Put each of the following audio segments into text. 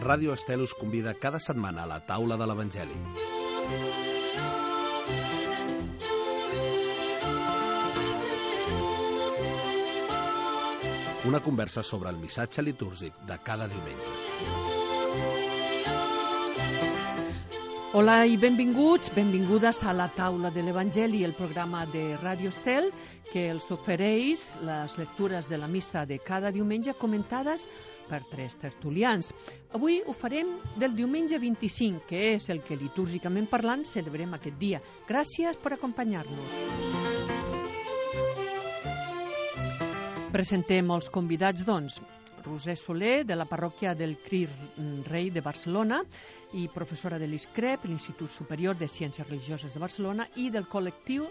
Ràdio Estel us convida cada setmana a la taula de l'Evangeli. Una conversa sobre el missatge litúrgic de cada diumenge. Hola i benvingudes a la taula de l'Evangeli, el programa de Ràdio Estel que els ofereix les lectures de la missa de cada diumenge comentades per 3 tertulians. Avui ho farem del diumenge 25, que és el que litúrgicament parlant celebrem aquest dia. Gràcies per acompanyar-nos. Presentem els convidats, doncs. Roser Soler, de la parròquia del Crist Rei de Barcelona i professora de l'ISCREP, l'Institut Superior de Ciències Religioses de Barcelona, i del col·lectiu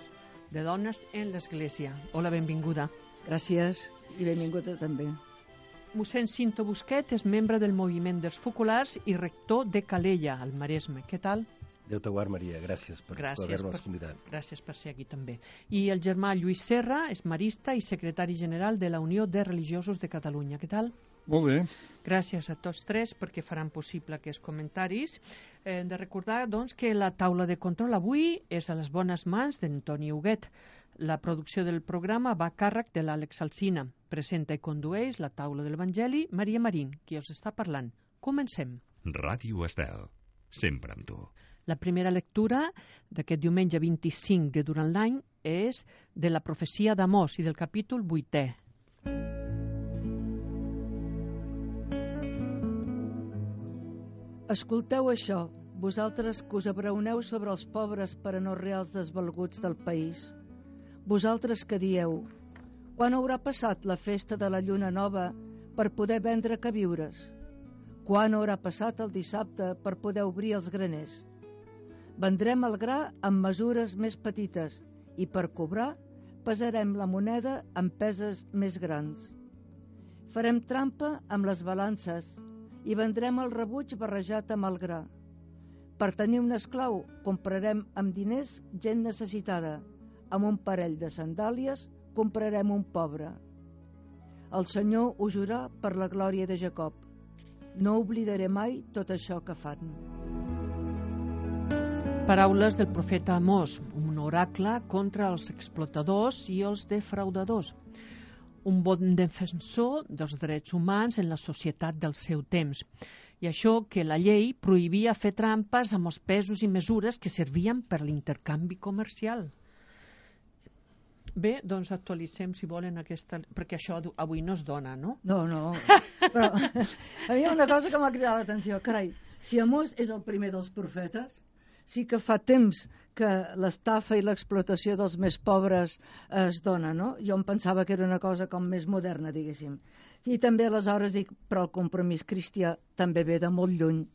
de dones en l'Església. Hola, benvinguda. Gràcies i benvinguda també. Mossèn Cinto Busquet és membre del Moviment dels Focolars i rector de Calella, al Maresme. Què tal? Déu te guard, Maria. Gràcies per haver-nos convidat. Gràcies per ser aquí també. I el germà Lluís Serra és marista i secretari general de la Unió de Religiosos de Catalunya. Què tal? Molt bé. Gràcies a tots 3 perquè faran possible aquests comentaris. Hem de recordar, doncs, que la taula de control avui és a les bones mans d'Antoni Huguet. La producció del programa va a càrrec de l'Àlex Alsina. Presenta i condueix la taula de l'Evangeli Maria Marín, qui us està parlant. Comencem. Ràdio Estel, sempre amb tu. La primera lectura d'aquest diumenge 25 de durant l'any és de la profecia d'Amós i del capítol 8è. Escolteu això, vosaltres que us abraoneu sobre els pobres per a no reals desvalguts del país. Vosaltres que dieu, quan haurà passat la festa de la lluna nova per poder vendre queviures? Quan haurà passat el dissabte per poder obrir els graners? Vendrem el gra amb mesures més petites i per cobrar pesarem la moneda amb peses més grans. Farem trampa amb les balances i vendrem el rebuig barrejat amb el gra. Per tenir un esclau comprarem amb diners gent necessitada. Amb un parell de sandàlies comprarem un pobre. El Senyor ho jurà per la glòria de Jacob. No oblidaré mai tot això que fan. Paraules del profeta Amós, un oracle contra els explotadors i els defraudadors. Un bon defensor dels drets humans en la societat del seu temps. I això que la llei prohibia fer trampes amb els pesos i mesures que servien per l'intercanvi comercial. Bé, doncs actualitzem, si volen, aquesta... perquè això avui no es dona, no? No. Però a mi hi ha una cosa que m'ha cridat l'atenció. Carai, si Amós és el primer dels profetes, sí que fa temps que l'estafa i l'explotació dels més pobres es dona, no? Jo em pensava que era una cosa com més moderna, diguéssim. I també aleshores dic, però el compromís cristià també ve de molt lluny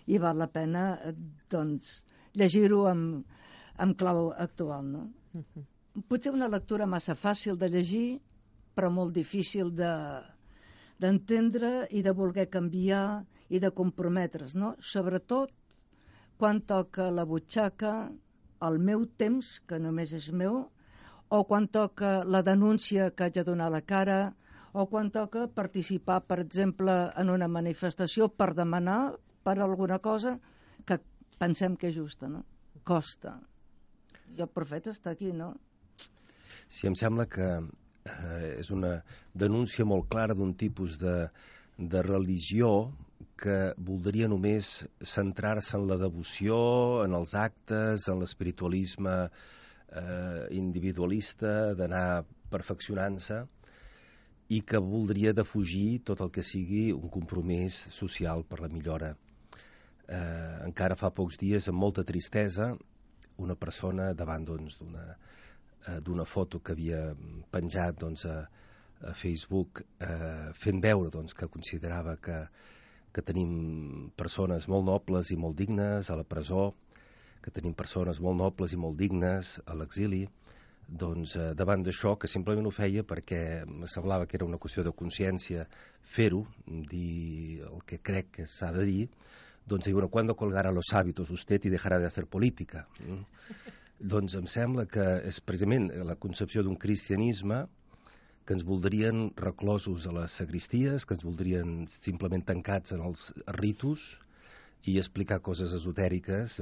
i val la pena, doncs, llegir-ho amb clau actual, no? Potser una lectura massa fàcil de llegir, però molt difícil d'entendre i de voler canviar i de comprometre's, no? Sobretot quan toca la butxaca, el meu temps, que només és meu, o quan toca la denúncia que haig de donar a la cara, o quan toca participar, per exemple, en una manifestació per demanar per alguna cosa que pensem que és justa, no? Costa. I el profeta està aquí, no? Sí, em sembla que és una denúncia molt clara d'un tipus de religió que voldria només centrar-se en la devoció, en els actes, en l'espiritualisme individualista, d'anar perfeccionant-se, i que voldria defugir tot el que sigui un compromís social per la millora. Encara fa pocs dies, amb molta tristesa, una persona davant d'una foto que havia penjat a Facebook fent veure que considerava que tenim persones molt nobles i molt dignes a la presó, que tenim persones molt nobles i molt dignes a l'exili. Davant d'això, que simplement ho feia perquè me semblava que era una qüestió de consciència fer-ho, dir el que crec que s'ha de dir, diu, ¿cuándo colgará los hábitos usted y dejará de hacer política? Doncs em sembla que és precisament la concepció d'un cristianisme que ens voldrien reclosos a les sagristies, que ens voldrien simplement tancats en els ritus i explicar coses esotèriques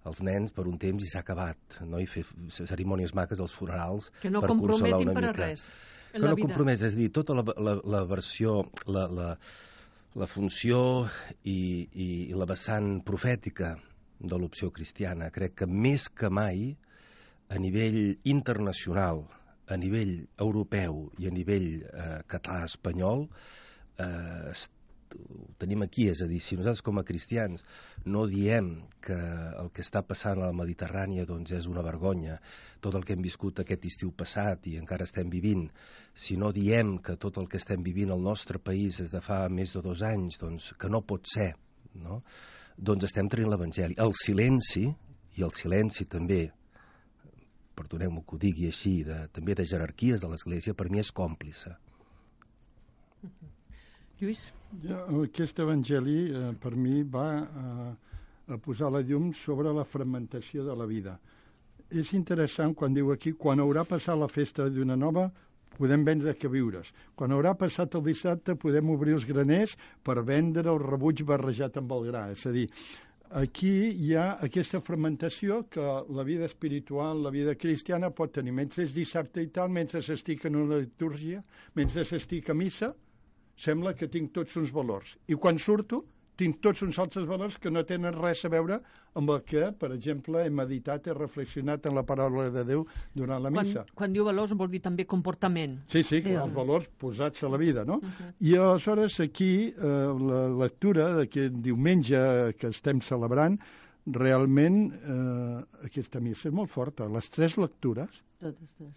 als nens per un temps i s'ha acabat, no? I fer cerimònies maques als funerals que no per consolar comprometin una per a mica. res Que no compromès, és a dir, tota la versió, la funció i la vessant profètica de l'opció cristiana, crec que més que mai, a nivell internacional, a nivell europeu i a nivell català-espanyol, ho tenim aquí, és a dir, si nosaltres com a cristians no diem que el que està passant a la Mediterrània doncs és una vergonya, tot el que hem viscut aquest estiu passat i encara estem vivint, si no diem que tot el que estem vivint al nostre país des de fa més de 2 anys, doncs que no pot ser, no? Doncs estem traient l'Evangeli. El silenci també, perdoneu-me que ho digui així, també de jerarquies de l'Església, per mi és còmplice. Lluís? Aquest evangeli per mi va a posar la llum sobre la fragmentació de la vida. És interessant quan diu aquí, quan haurà passat la festa d'una nova, podem vendre que viures. Quan haurà passat el dissabte podem obrir els graners per vendre el rebuig barrejat amb el gra. És a dir, aquí hi ha aquesta fragmentació que la vida espiritual, la vida cristiana pot tenir. Mentre és dissabte i tal, mentre s'estic en una litúrgia, mentre s'estic a missa, sembla que tinc tots uns valors. I quan surto, tinc tots uns altres valors que no tenen res a veure amb el que, per exemple, he meditat, he reflexionat en la paraula de Déu durant la missa. Quan diu valors vol dir també comportament. Sí, els valors posats a la vida, no? I aleshores aquí, la lectura d'aquest diumenge que estem celebrant, realment aquesta missa és molt forta. Les 3 lectures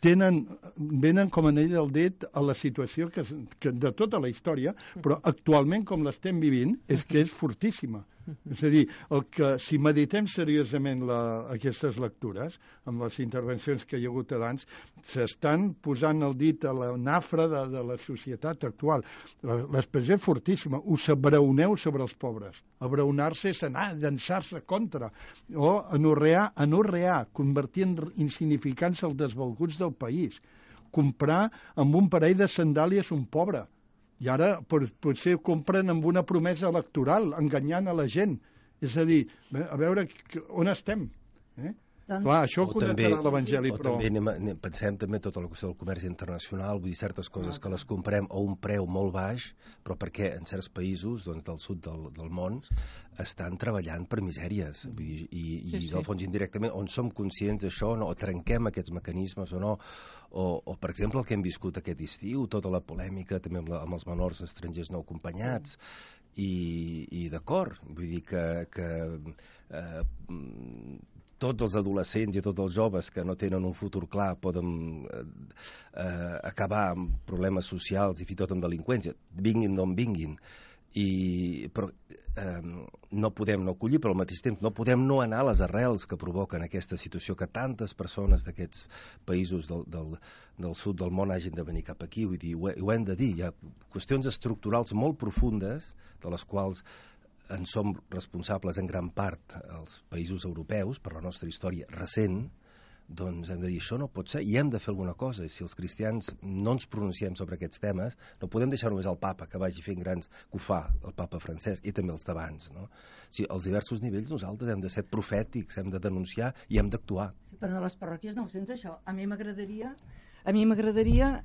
venen com anell del dit a la situació que de tota la història, però actualment com l'estem vivint és que és fortíssima. És a dir, si meditem seriosament aquestes lectures, amb les intervencions que hi ha hagut abans, s'estan posant el dit a la nafra de la societat actual. L'expressió és fortíssima. Us abraoneu sobre els pobres. Abraonar-se és anar, llançar-se contra. O anorrear, convertir en insignificants els desvalguts del país. Comprar amb un parell de sandàlies un pobre. I ara potser compren amb una promesa electoral, enganyant a la gent. És a dir, a veure on estem. Clar, això ho connectarà l'Evangeli, però... També pensem també tota la qüestió del comerç internacional, vull dir, certes coses que les comprem a un preu molt baix, però perquè en certs països del sud del món estan treballant per misèries. Vull dir, i del fons indirectament, on som conscients d'això, o trenquem aquests mecanismes o no, o per exemple el que hem viscut aquest estiu, tota la polèmica també amb els menors estrangers no acompanyats, i d'acord, vull dir que tots els adolescents i tots els joves que no tenen un futur clar poden acabar amb problemes socials i fins i tot amb delinqüència, vinguin d'on vinguin, però no podem no acollir, però al mateix temps no podem no anar a les arrels que provoquen aquesta situació, que tantes persones d'aquests països del sud del món hagin de venir cap aquí. Vull dir, ho hem de dir, hi ha qüestions estructurals molt profundes de les quals en som responsables en gran part els països europeus per la nostra història recent. Doncs hem de dir, això no pot ser, i hem de fer alguna cosa. Si els cristians no ens pronunciem sobre aquests temes, no podem deixar només al papa que vagi fent grans, que ho fa el papa Francesc, i també els d'abans, no? Si als diversos nivells nosaltres hem de ser profètics, hem de denunciar i hem d'actuar. Sí, però a les parròquies no ho sents, això. A mi m'agradaria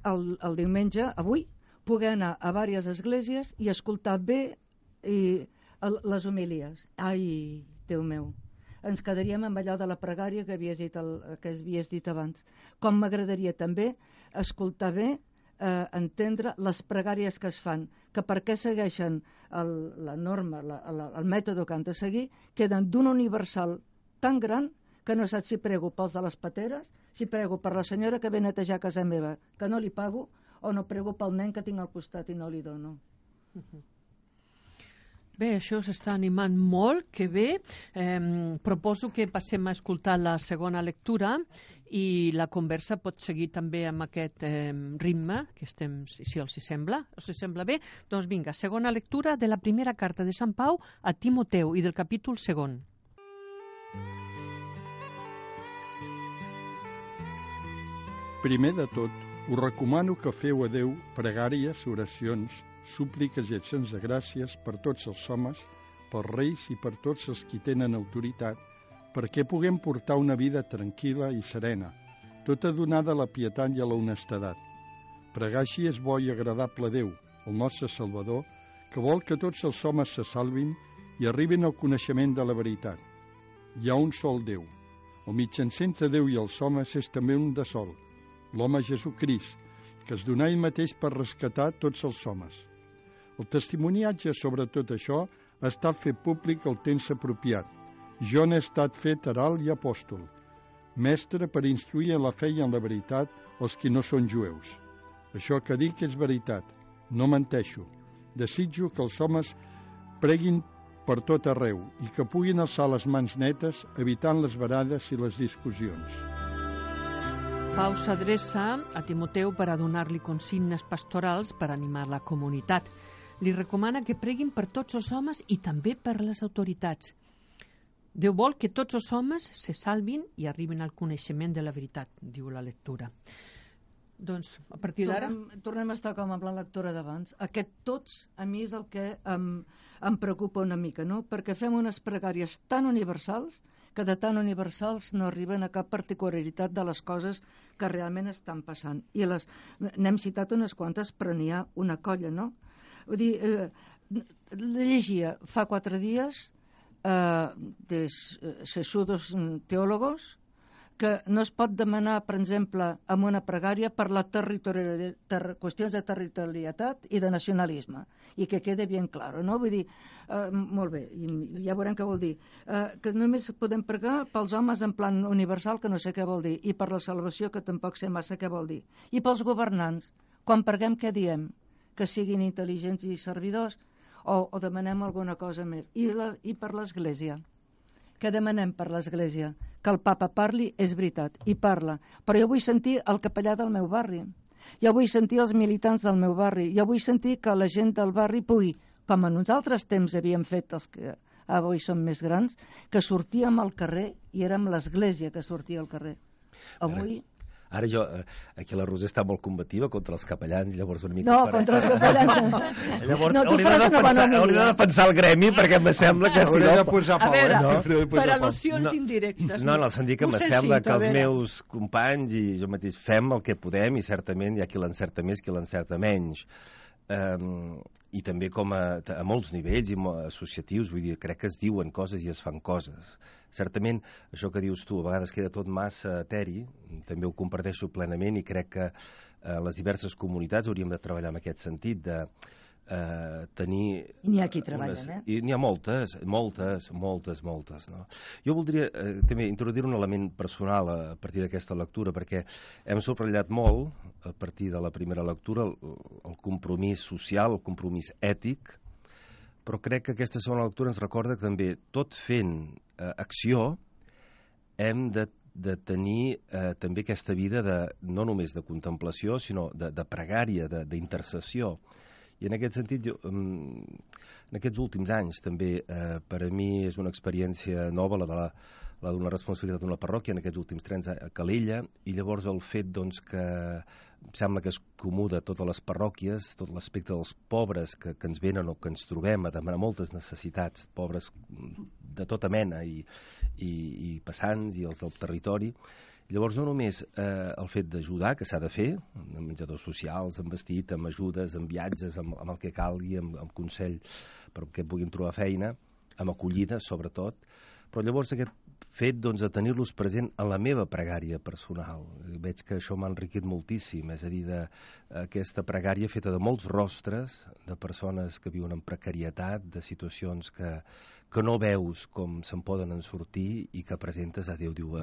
el diumenge, avui, poder anar a diverses esglésies i escoltar bé les homilies. Ai, Déu meu, ens quedaríem amb allò de la pregària que havies dit abans. Com m'agradaria també escoltar bé, entendre les pregàries que es fan, que per què segueixen la norma, el mètode que han de seguir, queden d'un universal tan gran que no saps si prego pels de les pateres, si prego per la senyora que ve a netejar casa meva, que no li pago, o no prego pel nen que tinc al costat i no li dono. Bé, això s'està animant molt, que bé. Proposo que passem a escoltar la segona lectura i la conversa pot seguir també amb aquest ritme, que estem, si els sembla. Us sembla bé? Doncs vinga, segona lectura de la primera carta de Sant Pau a Timoteu i del capítol 2. Primer de tot, Us recomano que feu a Déu pregàries, oracions, súpliques i accions de gràcies per tots els homes, pels reis i per tots els qui tenen autoritat, perquè puguem portar una vida tranquil·la i serena, tota donada a la pietat i a la honestedat. Pregar així és bo i agradable a Déu, el nostre Salvador, que vol que tots els homes se salvin i arribin al coneixement de la veritat. Hi ha un sol Déu. El mitjancer entre Déu i els homes és també un de sol, l'home Jesucrist, que es donà ell mateix per rescatar tots els homes. El testimoniatge sobre tot això ha estat fet públic al temps apropiat. Jo n'he estat fet herald i apòstol, mestre per instruir en la fe i en la veritat els qui no són jueus. Això que dic és veritat, no menteixo. Desitjo que els homes preguin per tot arreu i que puguin alçar les mans netes, evitant les barades i les discussions. Pau s'adreça a Timoteu per a donar-li consignes pastorals per animar la comunitat. Li recomana que preguin per tots els homes i també per les autoritats. Déu vol que tots els homes se salvin i arribin al coneixement de la veritat, diu la lectura. Doncs, a partir d'ara... Tornem a estar com amb la lectura d'abans. Aquest tots, a mi, és el que em preocupa una mica, no? Perquè fem unes pregàries tan universals que de tan universals no arriben a cap particularitat de les coses que realment estan passant. I n'hem citat unes quantes, però n'hi ha una colla, no? Vull dir, llegia fa 4 dies de sesudos teòlogos que no es pot demanar, per exemple, amb una pregària per la qüestions de territorialitat i de nacionalisme, i que quede ben clar, no? Vull dir, molt bé, ja veurem què vol dir, que només podem pregar pels homes en plan universal, que no sé què vol dir, i per la salvació, que tampoc sé massa què vol dir, i pels governants, quan preguem què diem? Que siguin intel·ligents i servidors, o demanem alguna cosa més. I per l'Església? Què demanem per l'Església? Que el papa parli, és veritat, i parla. Però jo vull sentir el capellà del meu barri. Jo vull sentir els militants del meu barri. Jo vull sentir que la gent del barri pugui, com a nosaltres temps havíem fet els que avui som més grans, que sortíem al carrer i érem l'Església que sortia al carrer. Avui... Ara jo, aquí la Roser està molt combativa contra els capellans, llavors una mica... No, contra els capellans. Llavors no, hauria de defensar el gremi, perquè em sembla que... Si no... de posar a veure, per al·lusions indirectes. No, en el sentit que sembla que els meus companys i jo mateix fem el que podem i certament hi ha qui l'encerta més, qui l'encerta menys. I també com a molts nivells i associatius, vull dir, crec que es diuen coses i es fan coses. Certament, això que dius tu, a vegades queda tot massa eteri, també ho comparteixo plenament i crec que les diverses comunitats hauríem de treballar en aquest sentit, de tenir... I n'hi ha qui treballen, I n'hi ha moltes, no? Jo voldria també introduir un element personal a partir d'aquesta lectura, perquè hem subratllat molt, a partir de la primera lectura, el compromís social, el compromís ètic, però crec que aquesta segona lectura ens recorda que també, tot fent acció, hem de tenir també aquesta vida no només de contemplació, sinó de pregària, d'intercessió. I en aquest sentit, en aquests últims anys també, per a mi és una experiència nova la d'una responsabilitat d'una parròquia en aquests últims 3 anys a Calella, i llavors el fet que em sembla que és comú de totes les parròquies, tot l'aspecte dels pobres que ens venen o que ens trobem a demanar moltes necessitats, pobres de tota mena i passants i els del territori. Llavors no només el fet d'ajudar, que s'ha de fer, amb menjadors socials, amb vestit, amb ajudes, amb viatges, amb el que calgui, amb consell perquè puguin trobar feina, amb acollida sobretot, però llavors aquest fet de tenir-los present en la meva pregària personal. Veig que això m'ha enriquit moltíssim, és a dir, aquesta pregària feta de molts rostres, de persones que viuen en precarietat, de situacions que no veus com se'n poden sortir i que presentes a Déu, diu...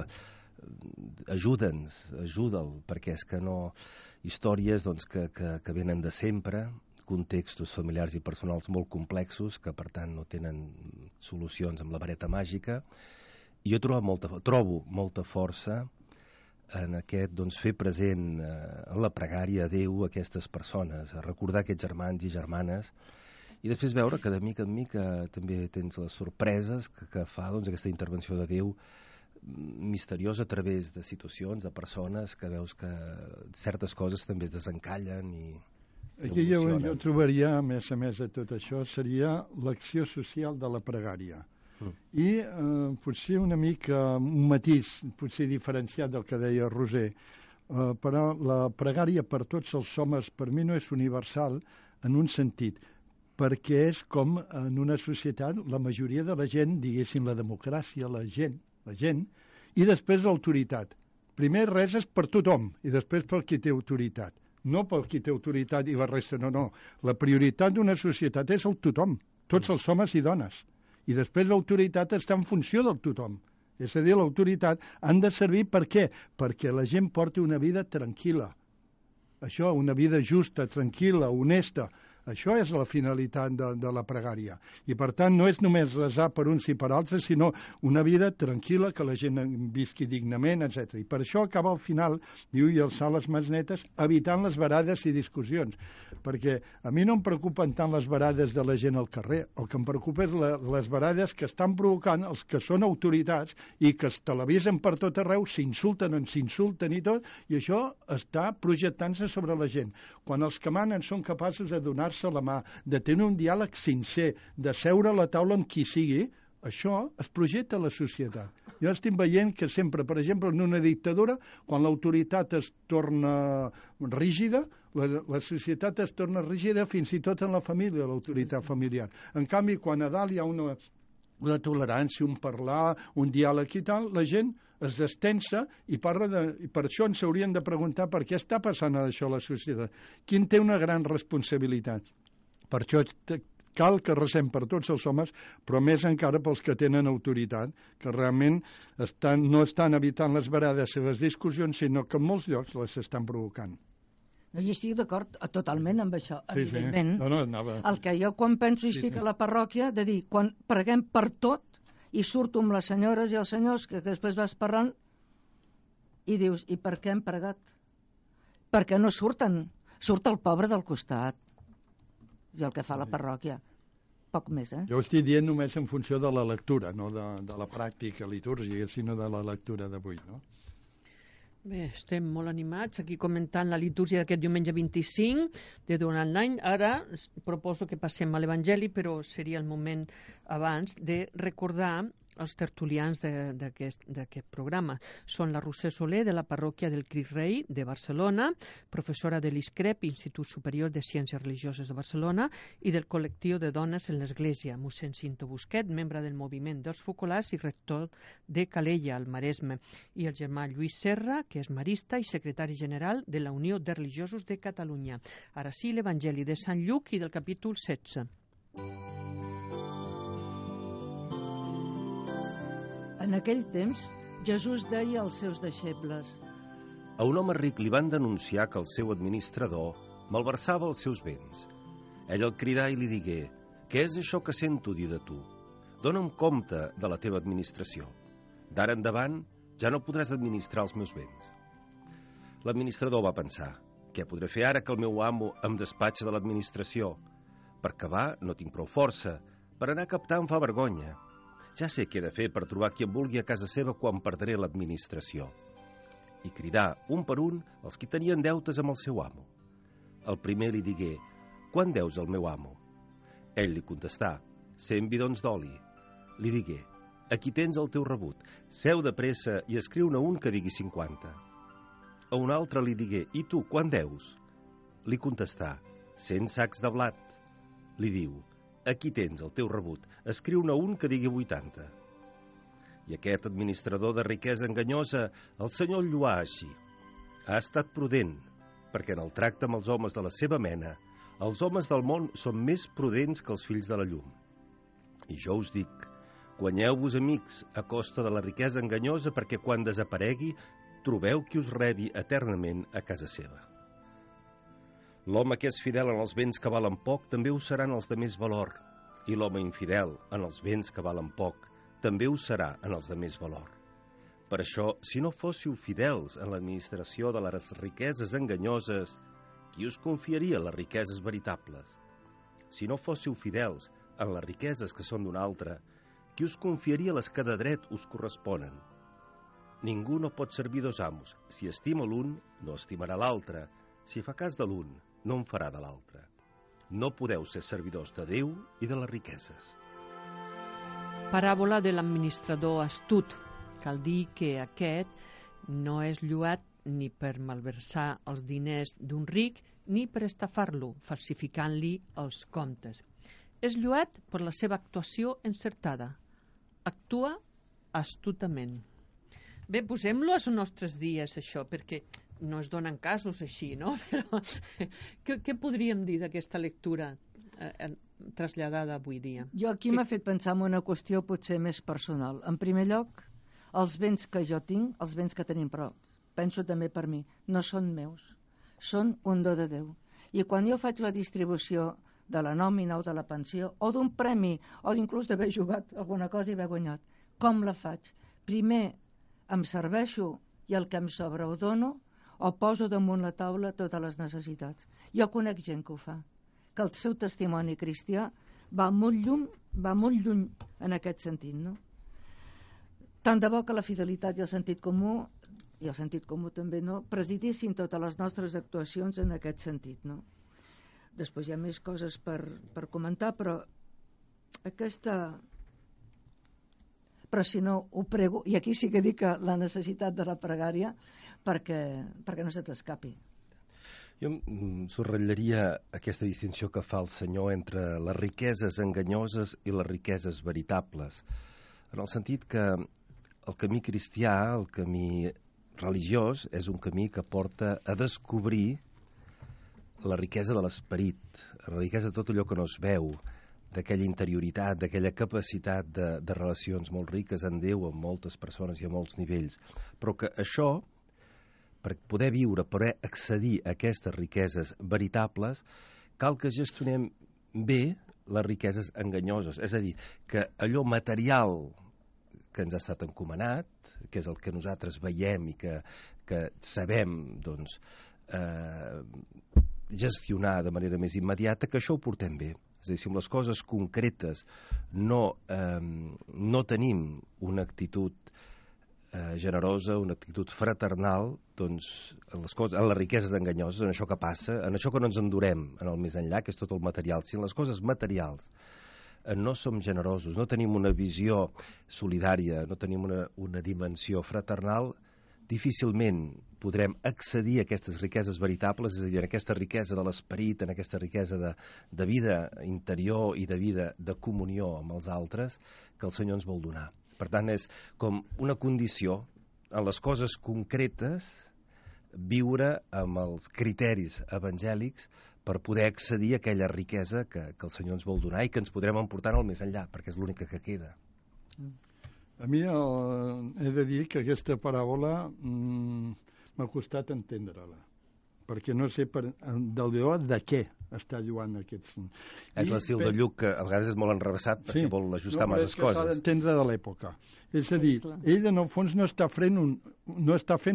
ajuda'ns, ajuda'l, perquè és que no... històries que venen de sempre, contextos familiars i personals molt complexos, que per tant no tenen solucions amb la vareta màgica, i jo trobo molta força en aquest fer present en la pregària a Déu aquestes persones, a recordar aquests germans i germanes, i després veure que de mica en mica també tens les sorpreses que fa aquesta intervenció de Déu misteriós a través de situacions, de persones que veus que certes coses també es desencallen i aquí jo trobaria, a més de tot això, seria l'acció social de la pregària. I potser una mica un matís, potser diferenciat del que deia Roser, però la pregària per tots els homes per mi no és universal en un sentit, perquè és com en una societat la majoria de la gent, diguéssim la democràcia, la gent, i després l'autoritat. Primer res és per tothom i després per qui té autoritat. No per qui té autoritat i la resta, no. La prioritat d'una societat és el tothom, tots els homes i dones. I després l'autoritat està en funció del tothom. És a dir, l'autoritat han de servir per què? Perquè la gent porti una vida tranquil·la. Això, una vida justa, tranquil·la, honesta. Això és la finalitat de la pregària. I, per tant, no és només resar per uns i per altres, sinó una vida tranquil·la, que la gent visqui dignament, etc. I per això acaba al final, diu, i alçar les mans netes, evitant les barades i discussions. Perquè a mi no em preocupen tant les barades de la gent al carrer. El que em preocupa és les barades que estan provocant els que són autoritats i que es televisen per tot arreu, s'insulten i tot, i això està projectant-se sobre la gent. Quan els que manen són capaços de donar-se la mà, de tenir un diàleg sincer, de seure a la taula amb qui sigui, això es projecta a la societat. Jo estic veient que sempre, per exemple, en una dictadura, quan l'autoritat es torna rígida, la societat es torna rígida fins i tot en la família, l'autoritat familiar. En canvi, quan a dalt hi ha una tolerància, un parlar, un diàleg i tal, la gent es destensa i per això ens haurien de preguntar per què està passant això a la societat. Qui en té una gran responsabilitat? Per això cal que resem per tots els homes, però més encara pels que tenen autoritat, que realment no estan evitant les barades i les discussions, sinó que en molts llocs les estan provocant. No, hi estic d'acord totalment amb això, evidentment. Sí. No, anava... El que jo quan penso i estic a la parròquia, de dir, quan preguem per tot, i surto amb les senyores i els senyors, que després vas parlant, i dius, i per què hem pregat? Perquè no surten. Surt el pobre del costat. I el que fa la parròquia. Poc més, Jo ho estic dient només en funció de la lectura, no de la pràctica litúrgica, sinó de la lectura d'avui, no? Bé, estem molt animats aquí comentant la litúrgia d'aquest diumenge 25 de durant l'any. Ara proposo que passem a l'Evangeli, però seria el moment abans de recordar els tertulians d'aquest programa. Són la Roser Soler, de la parròquia del Crist Rei de Barcelona, professora de l'ISCREP, Institut Superior de Ciències Religioses de Barcelona, i del col·lectiu de dones en l'Església, mossèn Cinto Busquet, membre del moviment dels Focolars i rector de Calella, al Maresme, i el germà Lluís Serra, que és marista i secretari general de la Unió de Religiosos de Catalunya. Ara sí, l'Evangeli de Sant Lluc i del capítol 16. En aquell temps, Jesús deia als seus deixebles: A un home ric li van denunciar que el seu administrador malversava els seus béns. Ell el cridà i li digué: Què és això que sento dir de tu? Dóna'm compte de la teva administració. D'ara endavant ja no podràs administrar els meus béns. L'administrador va pensar: Què podré fer ara que el meu amo em despatxa de l'administració? Per acabar no tinc prou força, per anar a captar em fa vergonya. Ja sé què he de fer per trobar qui em vulgui a casa seva quan perdré l'administració. I cridà, un per un, els qui tenien deutes amb el seu amo. El primer li digué: Quant deus al meu amo? Ell li contestà: 100 bidons d'oli. Li digué: Aquí tens el teu rebut. Seu de pressa i escriu-ne un que digui 50. A un altre li digué: I tu, quant deus? Li contestà: 100 sacs de blat. Li diu: Aquí tens el teu rebut, escriu-ne un que digui 80. I aquest administrador de riquesa enganyosa, el senyor el lluà així: Ha estat prudent, perquè en el tracte amb els homes de la seva mena, els homes del món són més prudents que els fills de la llum. I jo us dic, guanyeu-vos amics a costa de la riquesa enganyosa, perquè quan desaparegui, trobeu qui us rebi eternament a casa seva. L'home que és fidel en els béns que valen poc també ho serà en els de més valor, i l'home infidel en els béns que valen poc també ho serà en els de més valor. Per això, si no fóssiu fidels en l'administració de les riqueses enganyoses, qui us confiaria les riqueses veritables? Si no fóssiu fidels en les riqueses que són d'un altre, qui us confiaria les que de dret us corresponen? Ningú no pot servir dos amos. Si estima l'un, no estimarà l'altre. Si fa cas de l'un, no en farà de l'altre. No podeu ser servidors de Déu i de les riqueses. Paràbola de l'administrador astut. Cal dir que aquest no és lloat ni per malversar els diners d'un ric ni per estafar-lo, falsificant-li els comptes. És lloat per la seva actuació encertada. Actua astutament. Bé, posem-lo als nostres dies, això, perquè no es donen casos així, no? Però què podríem dir d'aquesta lectura traslladada avui dia? Jo aquí m'ha fet pensar en una qüestió potser més personal. En primer lloc, els béns que jo tinc, els béns que tenim, però penso també per mi, no són meus, són un do de Déu. I quan jo faig la distribució de la nòmina o de la pensió, o d'un premi, o inclús d'haver jugat alguna cosa i haver guanyat, com la faig? Primer em serveixo i el que em sobra ho dono, o poso damunt la taula totes les necessitats. Jo conec gent que ho fa, que el seu testimoni cristià va molt lluny en aquest sentit, no? Tant de bo que la fidelitat i el sentit comú també, no, presidissin totes les nostres actuacions en aquest sentit, no? Després hi ha més coses per comentar, però si no ho prego, i aquí sí que dic que la necessitat de la pregària perquè no se t'escapi. Jo subratllaria aquesta distinció que fa el Senyor entre les riqueses enganyoses i les riqueses veritables, en el sentit que el camí cristià, el camí religiós, és un camí que porta a descobrir la riquesa de l'esperit, la riquesa de tot allò que no es veu, d'aquella interioritat, d'aquella capacitat de relacions molt riques en Déu, amb moltes persones i a molts nivells. Però que això, per poder viure, per poder accedir a aquestes riqueses veritables, cal que gestionem bé les riqueses enganyoses. És a dir, que allò material que ens ha estat encomanat, que és el que nosaltres veiem i que sabem, doncs, gestionar de manera més immediata, que això ho portem bé. És a dir, si amb les coses concretes no tenim una actitud generosa, una actitud fraternal, doncs en les riqueses enganyoses, en això que passa, en això que no ens endurem en el més enllà, que és tot el material. Si en les coses materials no som generosos, no tenim una visió solidària, no tenim una dimensió fraternal, difícilment podrem accedir a aquestes riqueses veritables, és a dir, en aquesta riquesa de l'esperit, en aquesta riquesa de vida interior i de vida de comunió amb els altres que el Senyor ens vol donar. Per tant, és com una condició en les coses concretes viure amb els criteris evangèlics per poder accedir a aquella riquesa que el Senyor ens vol donar i que ens podrem emportar al més enllà, perquè és l'única que queda. A mi he de dir que aquesta paràbola m'ha costat entendre-la, perquè no sé del deó de què està lluant aquests... És l'estil de Lluc que a vegades és molt enrevessat perquè vol ajustar masses coses. S'ha d'entendre de l'època. És a dir, ell en el fons no està fent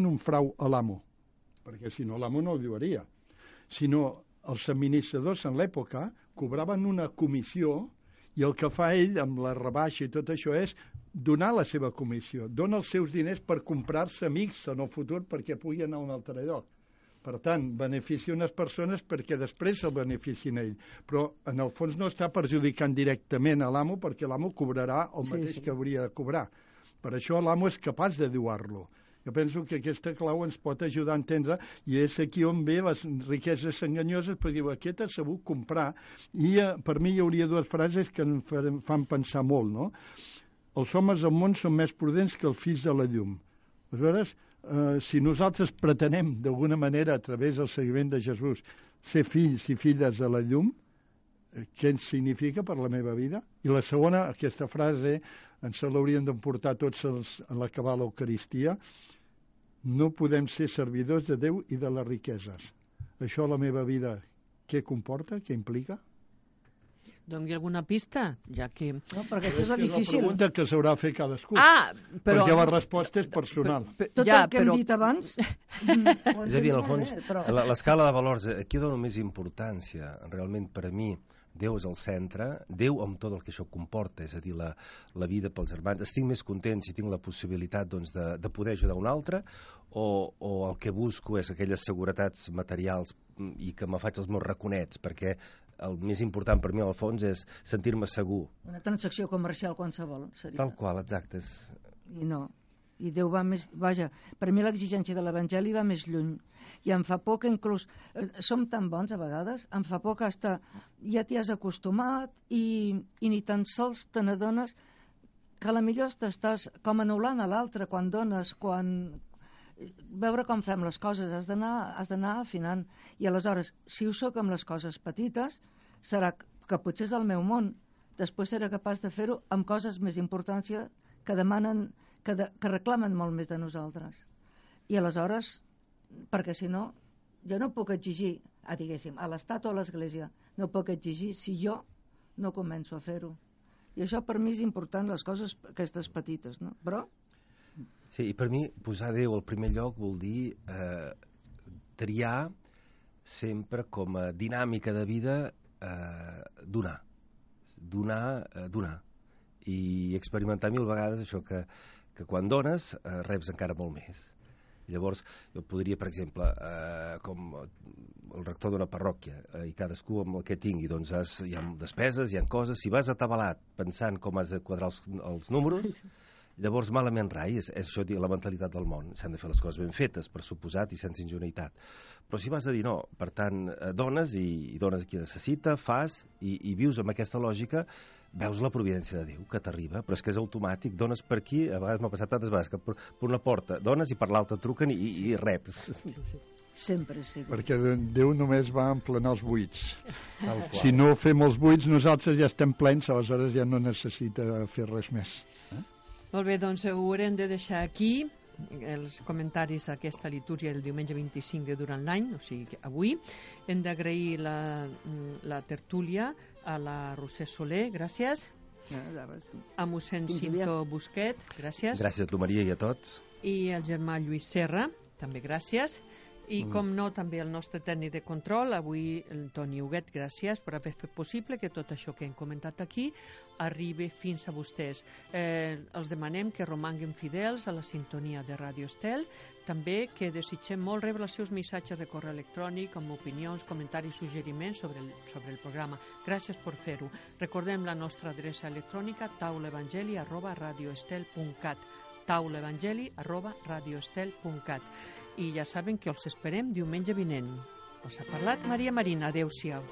un frau a l'amo, perquè si no l'amo no ho diuria, sinó els administradors en l'època cobraven una comissió i el que fa ell amb la rebaixa i tot això és donar la seva comissió, dona els seus diners per comprar-se amics en el futur perquè pugui anar a un altre lloc. Per tant, beneficia unes persones perquè després el beneficien a ell, però en el fons no està perjudicant directament a l'amo perquè l'amo cobrarà el mateix que hauria de cobrar. Per això l'amo és capaç de diuar-lo. Jo penso que aquesta clau ens pot ajudar a entendre, i és aquí on ve les riqueses enganyoses, perquè diu, aquest ha sabut comprar, i per mi hi hauria dues frases que em fan pensar molt, no? Els homes del món són més prudents que els fills de la llum. Aleshores, si nosaltres pretenem, d'alguna manera, a través del seguiment de Jesús, ser fills i filles de la llum, què significa per la meva vida? I la segona, aquesta frase, ens l'haurien d'emportar tots en l'acabar l'Eucaristia, no podem ser servidors de Déu i de les riqueses. Això a la meva vida, què comporta, què implica? Doni alguna pista, ja que... No, perquè això és difícil. És la pregunta que s'haurà de fer cadascú. Però... Perquè la resposta és personal. Tot el que hem dit abans... És a dir, en el fons, l'escala de valors, aquí dono més importància, realment per a mi, Déu és el centre, Déu amb tot el que això comporta, és a dir, la vida pels germans. Estic més content si tinc la possibilitat doncs, de poder ajudar un altre, o el que busco és aquelles seguretats materials i que me faig els meus raconets, perquè el més important per mi al fons és sentir-me segur. Una transacció comercial qualsevol seria. Tal qual, exacte. I no. I Déu va més... Vaja, per mi l'exigència de l'Evangeli va més lluny. I em fa por que inclús... som tan bons a vegades, em fa por que hasta ja t'hi has acostumat i ni tan sols te n'adones que a la millor t'estàs com anul·lant a l'altre quan dones, quan... Veure com fem les coses, has d'anar afinant. I aleshores, si ho soc amb les coses petites, serà que potser és el meu món. Després seré capaç de fer-ho amb coses més importància que demanen... que reclamen molt més de nosaltres. I aleshores, perquè si no, jo no puc exigir, diguéssim, a l'Estat o a l'Església, no puc exigir si jo no començo a fer-ho. I això per mi és important, les coses aquestes petites, no? Però... Sí, i per mi posar Déu al primer lloc vol dir triar sempre com a dinàmica de vida donar. Donar. I experimentar mil vegades això que quan dones reps encara molt més. Llavors jo podria, per exemple, com el rector d'una parròquia, i cadascú amb el que tingui, doncs hi ha despeses, hi ha coses, si vas atabalat pensant com has de quadrar els números, llavors malament rai, és això, la mentalitat del món. S'han de fer les coses ben fetes, per suposat, i sense ingenuïtat. Però si vas a dir no, per tant, dones i dones a qui necessita, fas, i vius amb aquesta lògica, veus la providència de Déu que t'arriba, però és que és automàtic, dones per aquí, a vegades m'ha passat tantes vegades que per una porta dones i per l'altra truquen i reps. Sempre sí. Perquè Déu només va emplenar els buits. Si no fem els buits, nosaltres ja estem plens, aleshores ja no necessita fer res més. Molt bé, doncs ho haurem de deixar aquí, els comentaris d'aquesta litúrgia del diumenge 25 de durant l'any, o sigui, avui. Hem d'agrair la tertúlia a la Roser Soler, gràcies. A mossèn Cinto Busquet, gràcies. Gràcies a tu, Maria, i a tots. I al germà Lluís Serra, també gràcies. I, com no, també el nostre tècnic de control, avui el Toni Huguet, gràcies per haver fet possible que tot això que hem comentat aquí arribi fins a vostès. Els demanem que romanguin fidels a la sintonia de Ràdio Estel, també que desitgem molt rebre els seus missatges de correu electrònic amb opinions, comentaris, suggeriments sobre el programa. Gràcies per fer-ho. Recordem la nostra adreça electrònica taulaevangeli@radioestel.cat taulaevangeli@radioestel.cat. I ja saben que els esperem diumenge vinent. Us ha parlat Maria Marina. Adéu-siau.